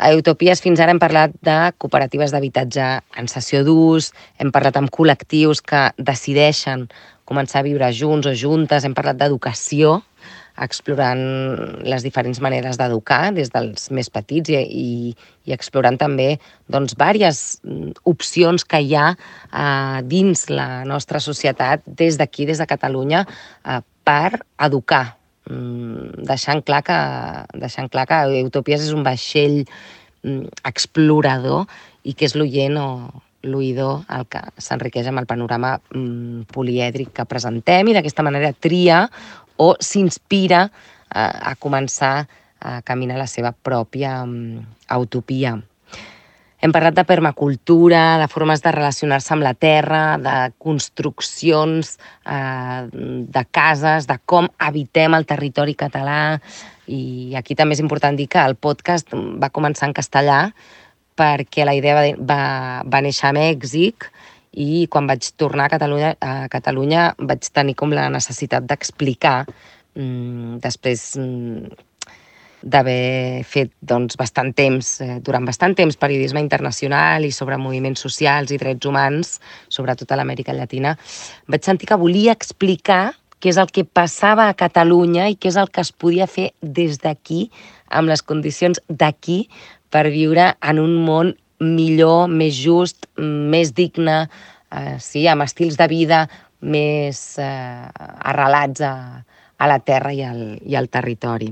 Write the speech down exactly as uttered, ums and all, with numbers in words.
A Utopies fins ara hem parlat de cooperatives d'habitatge en cessió d'ús, hem parlat amb col·lectius que decideixen començar a viure junts o juntes, hem parlat d'educació, explorant les diferents maneres d'educar, des dels més petits i, i, i explorant també doncs, diverses opcions que hi ha eh, dins la nostra societat, des d'aquí, des de Catalunya, eh, per educar. Deixant clar que, deixant clar que Utopies és un vaixell explorador i que és l'oient o l'oïdor el que s'enriqueix amb el panorama polièdric que presentem i d'aquesta manera tria o s'inspira a, a començar a caminar la seva pròpia utopia. Hem parlat de permacultura, de formes de relacionar-se amb la terra, de construccions, eh, de cases, de com habitem el territori català. I aquí també és important dir que el podcast va començar en castellà perquè la idea va, va, va néixer a Mèxic i quan vaig tornar a Catalunya, a Catalunya vaig tenir com la necessitat d'explicar mm, després... Mm, d'haver fet doncs, bastant temps, eh, durant bastant temps, periodisme internacional i sobre moviments socials i drets humans, sobretot a l'Amèrica Llatina, vaig sentir que volia explicar què és el que passava a Catalunya i què és el que es podia fer des d'aquí, amb les condicions d'aquí, per viure en un món millor, més just, més digne, eh, sí, amb estils de vida més eh, arrelats a, a la terra i al, i al territori.